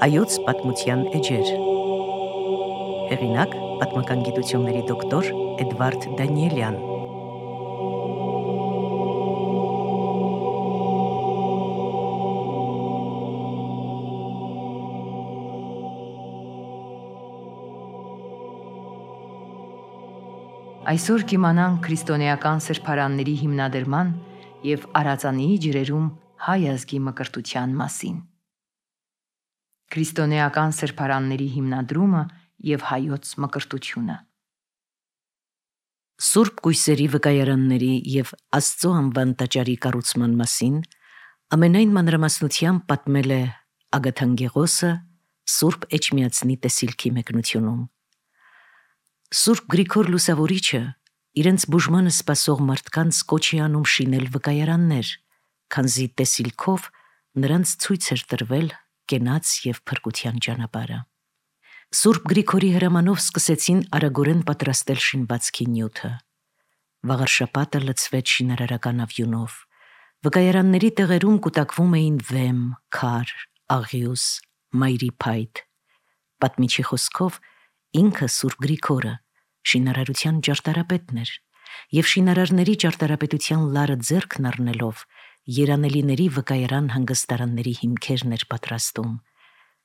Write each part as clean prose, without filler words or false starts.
Հայոց պատմության էջեր։ Հեղինակ պատմական գիտությունների դոկտոր Էդվարդ Դանիելյան։ Այսօր կիմանանք քրիստոնեական սրբարանների հիմնադրման և Արածանիի ջրերում հայ ազգի մկրտության մասին։ Քրիստոնեական սրբարանների հիմնադրումը և հայոց մկրտությունը։ Սուրբ կույսերի վկայարանների և Աստծո անվան տաճարի կառուցման մասին ամենայն մանրամասնությամբ պատմել է Ագաթանգեղոսը Սուրբ Էջմիածնի տեսիլքի մեկնությունում։ Սուրբ Գրիգոր Լուսավորիչը իրենց բուժմանը սպասող մարդկանց կոչ է անում շինել վկայարաններ, քանզի տեսիլքով նրանց ցույց էր տրվել կենաց և փրկության ճանապարհը։ Սուրբ Գրիգորի հրամանով սկսեցին արագորեն պատրաստել շինվածքի նյութը։ Վաղարշաբաթը լցվեց շինարարական ավյունով։ Վկայարանների տեղերում կուտակվում էին վեմ, քար, աղյուս, մայրի փայտ։ Պատմիչի խոսքով ինքը Սուրբ Գրիգորը շինարարության ճարտարապետն էր և շինարարների ճարտարապետության լարը ձեռքն առնելով երանելիների վկայարան հանգստարանների հիմքերն էր պատրաստում,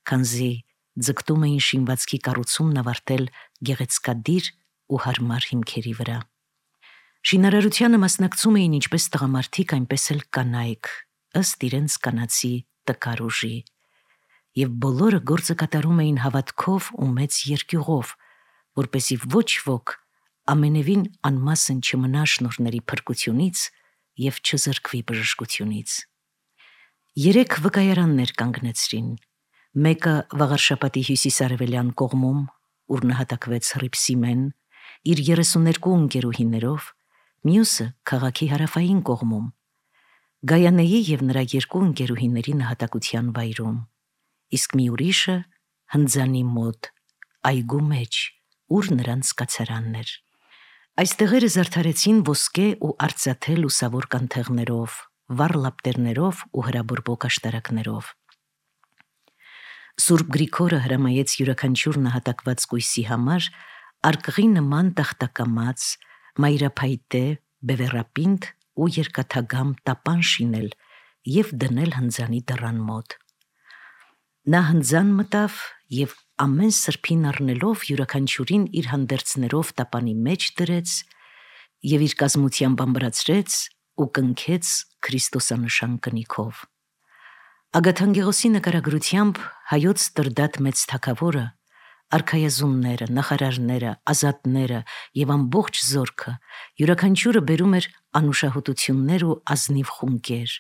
քանզի ձգտում էին շինվածքի կառուցումն ավարտել գեղեցկադիր ու հարմար հիմքերի վրա։ Շինարարությանը մասնակցում էին ինչպես տղամարդիկ, այնպես էլ կանայք, ըստ իրենց կանացի տկար ուժի, և բոլորը գործը կատարում էին հավատքով ու մեծ երկյուղով, որպեսզի ոչ ոք ամենևին անմասն չմնա շնորհների փրկությունից և չզրկվի բժշկությունից։ 3 վկայարաններ կանգնեցրին, մեկը վաղարշաբաթի հյուսիսարևելյան կողմում, ուր նահատակվեց Հռիփսիմեն, իր 32 ընկերուհիներով, մյուսը քաղաքի հարավային կողմում, Գայանեի և նրա 2 ընկերուհիների նահատակության վայրում, իսկ մի ուրիշը Հնձանի մոտ, այգու մեջ, ուր նրանց կացարանն էր։ Այս տեղերը զարդարեցին ոսկե ու արծաթե լուսավոր կանթեղներով, վառ լապտերներով ու հրաբորբոք աշտարակներով։ Սուրբ Գրիգորը հրամայեց յուրաքանչյուր նահատակված կույսի համար արկղի նման տախտակամած, մայրափայտե, բևեռապինդ ու երկաթագամ տապան շինել և դնել Հնձանի դռան մոտ։ Նա Հնձան մտավ և ամեն սրբին առնելով յուրաքանչյուրին իր հանդերձներով տապանի մեջ դրեց և իր կազմությամբ ամբրացրեց ու կնքեց քրիստոսանշան կնիքով։ Ագաթանգեղոսի նկարագրությամբ հայոց Տրդատ մեծ թագավորը, արքայազունները, նախարարները, ազատները և ամբողջ զորքը յուրաքանչյուրը բերում էր անուշահոտություններ ու ազնիվ խունկեր,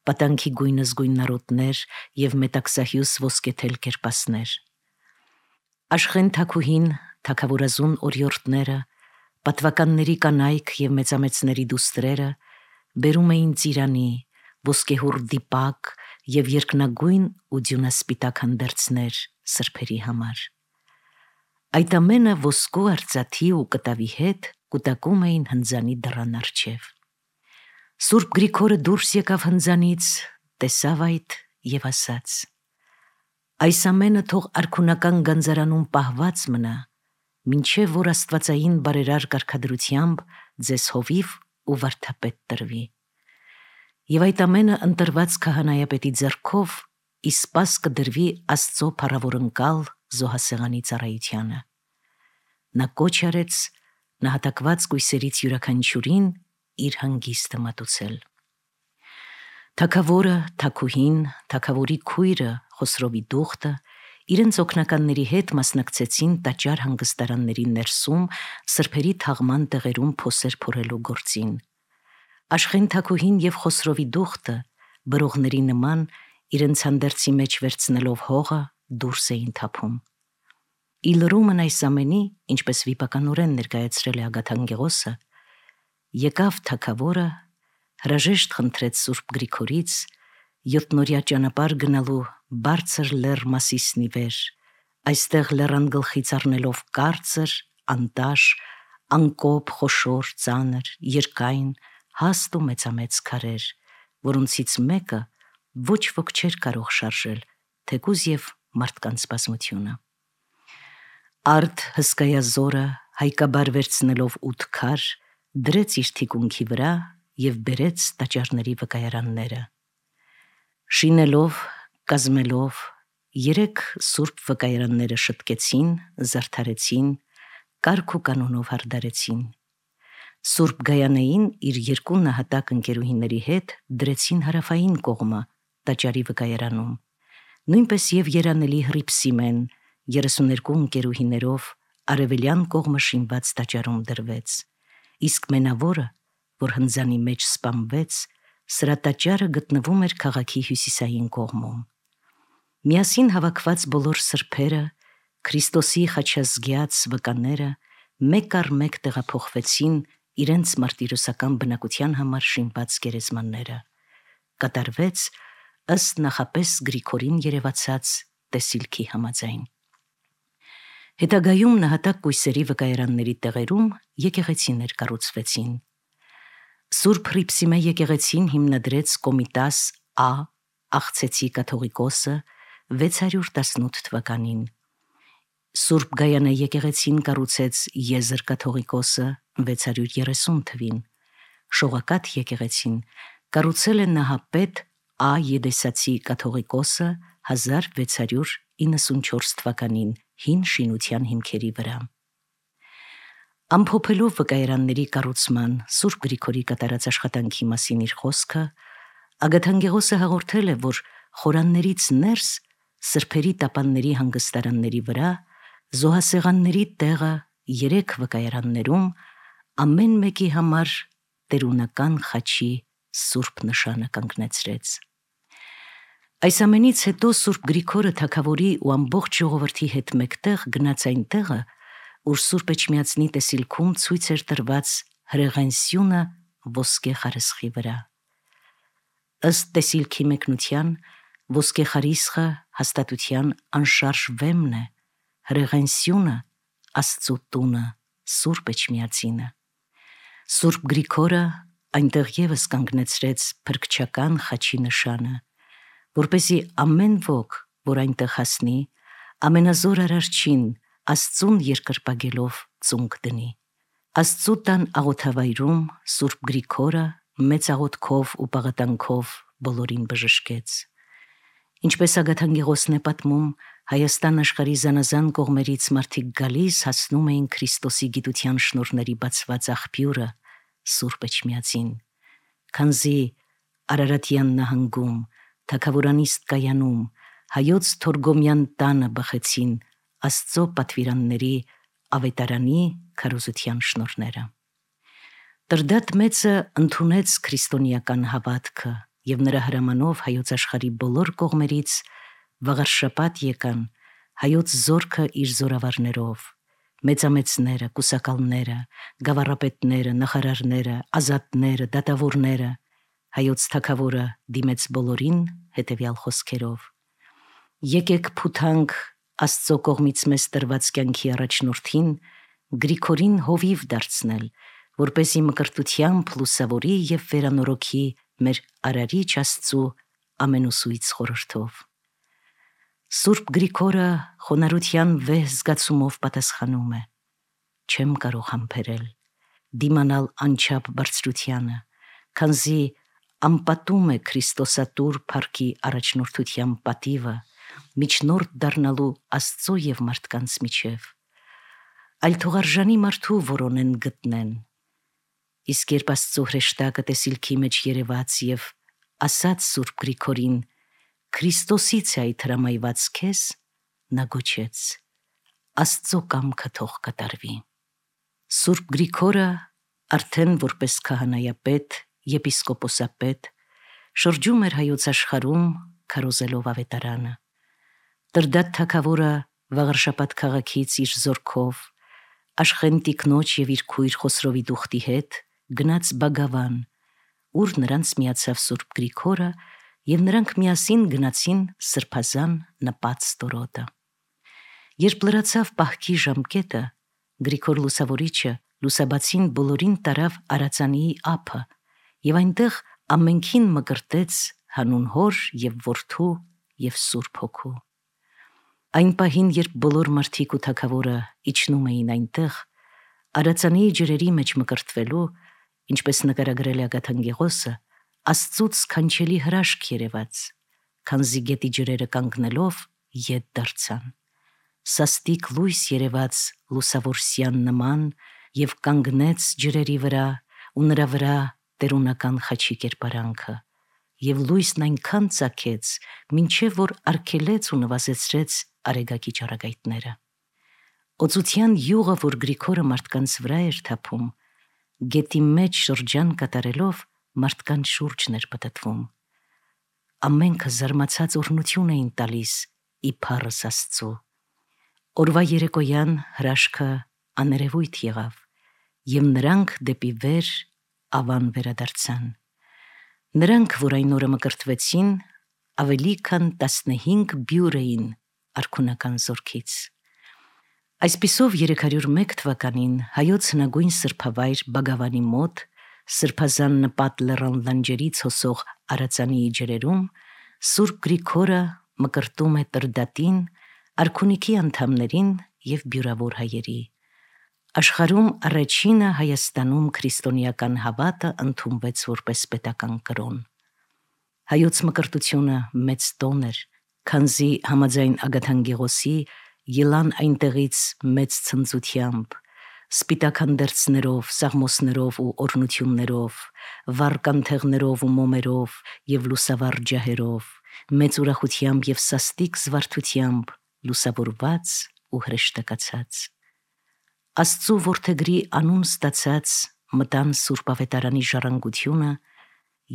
պատանքի գույնզգույն նարոտներ և մետաքսահյուս ոսկեթել կերպասներ։ Աշխեն թագուհին, թագավորազուն օրիորդները, պատվականների կանայք և մեծամեծների դուստրերը բերում էին ծիրանի, ոսկեհուռ դիպակ և երկնագույն ու ձյունասպիտակ հանդերձներ սրբերի համար։ Այդ ամենը ոսկու, արծաթի ու կտավի հետ կուտակում էին Հնձանի դռան առջև։ Սուրբ Գրիգորը դուրս եկավ Հնձանից, տեսավ այդ և ասաց. «Այս ամենը թող արքունական գանձարանում պահված մնա, մինչև որ աստվածային բարերար կարգադրությամբ ձեզ հովիվ ու վարդապետ տրվի։ Եվ այդ ամենը ընտրված քահանայապետի ձեռքով ի սպաս կդրվի Աստծո փառավորընկալ զոհասեղանի ծառայությանը»։ Նա կոչ արեց նահատակված կույսերից յուրաքանչյուրին իր հանգիստը մատուցել։ Թագավորը, թագուհին, թագավորի քույրը Խոսրովի դուխտը իրենց օգնականների հետ մասնակցեցին տաճար հանգստարանների ներսում սրբերի թաղման տեղերում փոսեր փորելու գործին։ Աշխեն թագուհին և Խոսրովի դուխտը բրողների նման իրենց հանդերձի մեջ վերցնելով հողը դուրս էին թափում։ Ի լրումն այս ամենի, ինչպես վիպականորեն ներկայացրել է Ագաթանգեղոսը, եկավ թագավորը, հրաժեշտ խնդրեց Սուրբ Գրիգորից 7-օրյա ճանապարհ գնալու բարձր լեռ Մասիսնի վեր, այստեղ լեռան գլխից առնելով կարծր, անտաշ, անկոպ, խոշոր, ծանր, երկայն, հաստ ու մեծամեծ քարեր, որոնցից մեկը ոչ ոք չէր կարող շարժել, թեկուզ և մարդկանց բազմությունը։ Արդ հսկայազորը հայկաբար վերցնելով 8 քար դրեց իր թիկունքի վրա և բերեց տաճարների վկայարանները։ Շինելով, կազմելով 3 սուրբ վկայարանները շտկեցին, զարդարեցին, կարգ ու կանոնով հարդարեցին։ Սուրբ Գայանեին իր 2 նահատակ ընկերուհիների հետ դրեցին հարավային կողմը տաճարի վկայարանում, նույնպես և երանելի Հռիփսիմեն 32 ընկերուհիներով արևելյան կողմը շինված տաճարում դրվեց, իսկ մենավորը, որ հնձանի մեջ սպանվեց, սրա տաճարը գտնվում էր քաղաքի հյուսիսային կողմում։ Միասին հավաքված բոլոր սրբերը, Քրիստոսի խաչազգյաց վկաները մեկ առ մեկ տեղափոխվեցին իրենց մարտիրոսական բնակության համար շինված գերեզմանները։ Կատարվեց ըստ նախապես Գրիգորին երևացած տեսիլքի համաձայն։ Հետագայում նահատակ կույսերի վկայարանների տեղերում եկեղեցիներ կառուցվեցին։ Սուրբ Հռիփսիմե եկեղեցին հիմնադրեց Կոմիտաս Ա. Աղցեցի կաթողիկոսը 618 թվականին։ Սուրբ Գայանե եկեղեցին կառուցեց Եզր կաթողիկոսը 630 թվին։ Շողակաթ եկեղեցին կառուցել է նահապետ Ա. Եդեսացի կաթողիկոսը 1694 թվականին հին շինության հիմքերի վրա։ Ամփոփելով վկայարանների կառուցման Սուրբ Գրիգորի կատարած աշխատանքի մասին իր խոսքը, Ագաթանգեղոսը հաղորդել է, որ խորաններից ներս սրբերի տապանների հանգստարանների վրա զոհասեղանների տեղը 3 վկայարաններում ամեն մեկի համար տերունական խաչի սուրբ նշանը կանգնեցրեց։ Այս ամենից հետո Սուրբ Գրիգորը թագավորի ու ամբողջ ժողովրդի հետ մեկտեղ գնաց այն տեղը, ուր Սուրբ Էջմիածնի տեսիլքում ցույց էր տրված հրեղեն ոսկե խարսխի վրա։ Ըստ տեսիլքի մեկնության, ոսկե խարիսխը հաստատության անշարժ վեմն է, հրեղեն սյունը Աստծու տունը, Սուրբ Էջմիածինը։ Սուրբ Գրիգորը այնտեղ ևս կանգնեցրեց փրկչական խաչի նշանը, որպեսզի ամեն ոք, որ այնտեղ հասնի, ամենազոր Արարչին Աստծուն երկրպագելով ծունկ դնի։ Աստծու տան աղոթավայրում Սուրբ Գրիգորը մեծ աղոթքով ու պաղատանքով բոլորին բժշկեց։ Ինչպես Ագաթանգեղոսն է պատմում, Հայաստան աշխարհի զանազան կողմերից մարդիկ գալիս հասնում էին Քրիստոսի գիտության շնորհների բացված աղբյուրը Սուրբ Էջմիածին, քանզի Արարատյան նահանգում, Թագավորանիստ կայանում, Հայոց Թորգոմյան տանը բխեցին Աստծո պատվիրանների ավետարանի քարոզության շնորհները։ Տրդատ մեծը ընդունեց քրիստոնեական հավատքը և նրա հրամանով հայոց աշխարհի բոլոր կողմերից վաղարշաբաթ եկան հայոց զորքը իր զորավարներով, մեծամեծները, կուսակալները, գավառապետները, նախարարները, ազատները, դատավորները, հայոց թագավորը դիմեց բոլորին հետևյալ խոսքերով. «Եկեք փութանք Աստծո կողմից մեզ տրված կյանքի առաջնորդին Գրիգորին հովիվ դարձնել, որպեսզի մկրտությամբ լուսավորի և վերանորոգի մեր Արարիչ Աստծու ամենուսույց խորհրդով»։ Սուրբ Գրիգորը խոնարհության վեհ զգացումով պատասխանում է. «Չեմ կարող համբերել, դիմանալ անչափ բարձրությանը, քանզի անպատում է Քրիստոսատուր փառքի առաջնորդության պատիվը միջնորդ դառնալու Աստծո և մարդկանց միջև, այլ թող արժանի մարդու որոնեն գտնեն»։ Իսկ երբ Աստծո հրեշտակը տեսիլքի մեջ երևաց և ասաց Սուրբ Գրիգորին. «Քրիստոսից է այդ հրամայված քեզ», նա գոչեց. «Աստծո կամքը թող կատարվի»։ Սուրբ Գրիգորը արդեն որպես քահանայապետ, եպիսկոպոսապետ շրջում էր հայոց աշխարհում քարոզելով ավետարանը։ Տրդատ թագավորը Վաղարշապատ քաղաքից իր զորքով Աշխեն տիկնոջ և իր քույր Խոսրովի դուխտի հետ գնաց Բագավան, ուր նրանց միացավ Սուրբ Գրիգորը և նրանք միասին գնացին սրբազան նպած ստորոտը։ Երբ լրացավ պահքի ժամկետը, Գրիգոր Լուսավորիչը լուսաբացին բոլորին տարավ Արածանիի ափը և այնտեղ ամենքին մկրտեց հանուն Հոր և Որդու և Սուրբ Հոգու։ Այն պահին, երբ բոլոր մարդիկ ու թագավորը իջնում էին այնտեղ, Արածանի ջրերի մեջ մկրտվելու, ինչպես նկարագրել է Ագաթանգեղոսը, Աստծուց սքանչելի հրաշք երևաց, քանզի գետի ջրերը կանգնելով ետ դարձան։ Սաստիկ լույս երևաց լուսավոր սյան նման և կանգնեց ջրերի վրա ու նրա վրա տերունական խաչի կերպարանքը, և լույսն այնքան ծագեց, մինչև որ արգելեց ու նվազեցրեց արեգակի ճառագայթները։ Օծության յուղը, որ Գրիգորը մարդկանց վրա էր թափում, գետի մեջ շրջան կատարելով մարդկանց շուրջն էր պտտվում։ Ամենքը զարմացած օրհնություն էին տալիս իբարս Աստծու։ Օրվա երեկոյան հրաշքը աներևույթ եղավ, և նրանք դեպի վեր ավան վերադարձան։ Նրանք, որ այն օրը մկրտվեցին, ավելի քան 15 բյուր էին արքունական զորքից։ Այսպիսով 301 թվականին հայոց հնագույն սրբավայր Բագավանի մոտ սրբազան նպատ լեռան լանջերից հոսող Արածանիի ջրերում Սուրբ Գրիգորը մկրտում է Տրդատին, արքունիքի անդամներին և բյուրավոր հայերի։ Աշխարհում առաջինը Հայաստանում քրիստոնեական հավատը ընդունվեց որպես պետական կրոն։ Հայոց մկրտությունը մեծ տոն էր, քանզի համաձայն Ագաթանգեղոսի ելան այնտեղից մեծ ցնծությամբ, սպիտակ հանդերձներով, սաղմոսներով ու օրհնություններով, վառ կանթեղներով ու մոմերով և լուսավառ ջահերով, մեծ ուրախությամբ և սաստիկ զվարթությամբ, լուսավորված ու հրեշտակացած։ Աստծու որդեգրի անուն ստացած մտան Սուրբ Ավետարանի ժառանգությունը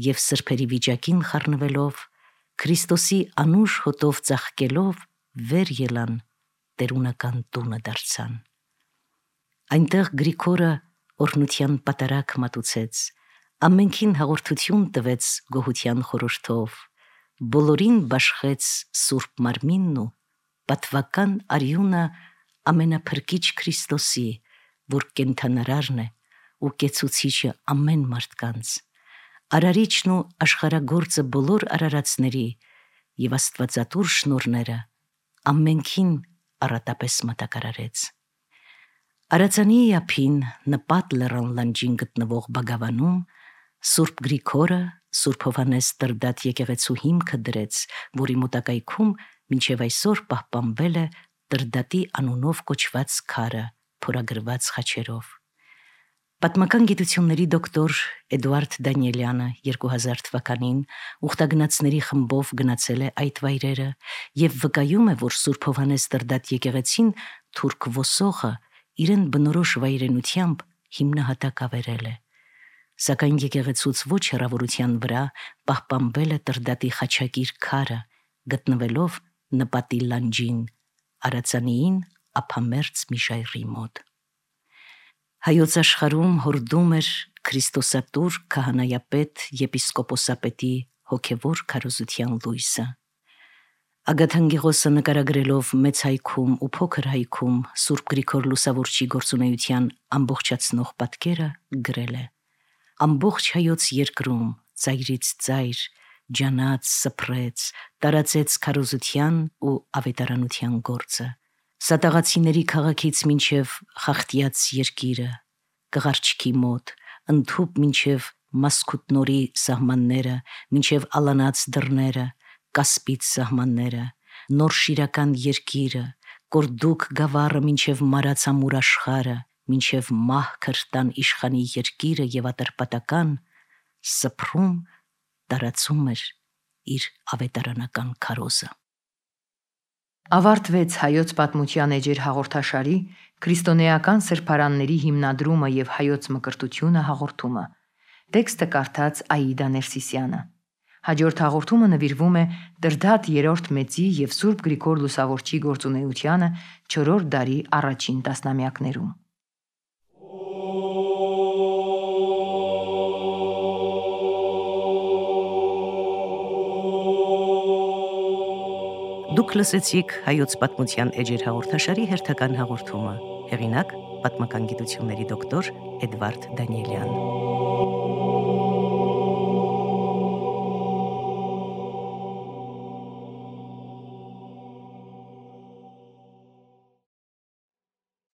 և սրբերի վիճակին խառնվելով, Քրիստոսի անուշ հոտով ծաղկելով վեր ելան, տերունական տունը դարձան։ Այնտեղ Գրիգորը օրհնության պատարագ մատուցեց, ամենքին հաղորդություն տվեց գոհության խորհրդով, բոլորին բաշխեց Սուրբ Մարմինն ու պատվական արյունը ամենափրկիչ Քրիստոսի, որ կենդանարարն է ու կեցուցիչը ամեն մարդկանց, արարիչն ու աշխարհագործը բոլոր արարածների և աստվածատուր շնորհները ամենքին առատապես մատակարարեց։ Արածանիի ափին նպատ լեռան լանջին գտնվող Բագավանում Սուրբ Գրիգորը Սուրբ Հովհաննես Տրդատ եկեղեցու հիմքը դրեց, որի մոտակայքում մինչև այսօր պահպանվել է Տրդատի անունով կոչված քարը փորագրված խաչերով։ Պատմական գիտությունների դոկտոր Էդուարդ Դանիելյանը 2000 թվականին ուխտագնացների խմբով գնացել է այդ վայրերը և վկայում է, որ Սուրբ Հովհաննես Տրդատ եկեղեցին թուրք ոսողը իրեն բնորոշ վայրենությամբ հիմնահատակ ավերել է։ Սակայն եկեղեցուց ոչ հեռավորության վրա պահպանվել է Տրդատի խաչակիր քարը, գտնվելով նպատի լանջին, Արածանիին ափամերձ մի ժայռի մոտ։ Հայոց աշխարհում հորդում էր քրիստոսատուր քահանայապետ եպիսկոպոսապետի հոգևոր քարոզության լույսը։ Ագաթանգեղոսը նկարագրելով Մեծ հայքում ու Փոքր հայքում Սուրբ Գրիգոր Լուսավորչի գործունեության ամբողջացնող պատկերը գրել է. ամբողջ հայոց երկրում ծայրից ծայր ջանաց, սփռեց, տարածեց քարոզության ու ավետարանության գործը։ Սատաղացիների քաղաքից մինչև Խախտյաց երկիրը, Կղարչքի մոտ, ընդհուպ մինչև Մասքուտնորի սահմանները, մինչև Ալանաց դռները, Կասպից սահմանները, Նոր Շիրական երկիրը, Կորդուկ գավառը մինչև Մարաց ամուր աշխարհը, մինչև Մահ Քրտան իշխանի երկիրը և Ատրպատական, սփռում, տարածում էր իր ավետարանական քարոզը։ Ավարտվեց հայոց պատմության էջեր հաղորդաշարի քրիստոնեական սրբարանների հիմնադրումը և հայոց մկրտությունը հաղորդումը։ Տեքստը կարդաց Աիդա Ներսիսյանը։ Հաջորդ հաղորդումը նվիրվում է Տրդատ III Մեծի և Սուրբ Գրիգոր Լուսավորչի գործունեությանը 4-րդ դարի առաջին տասնամյակներում։ Դուք լսեցիք հայոց պատմության էջեր հաղորդաշարի հերթական հաղորդումը։ Հեղինակ՝ պատմական գիտությունների դոկտոր Էդվարդ Դանիելյան։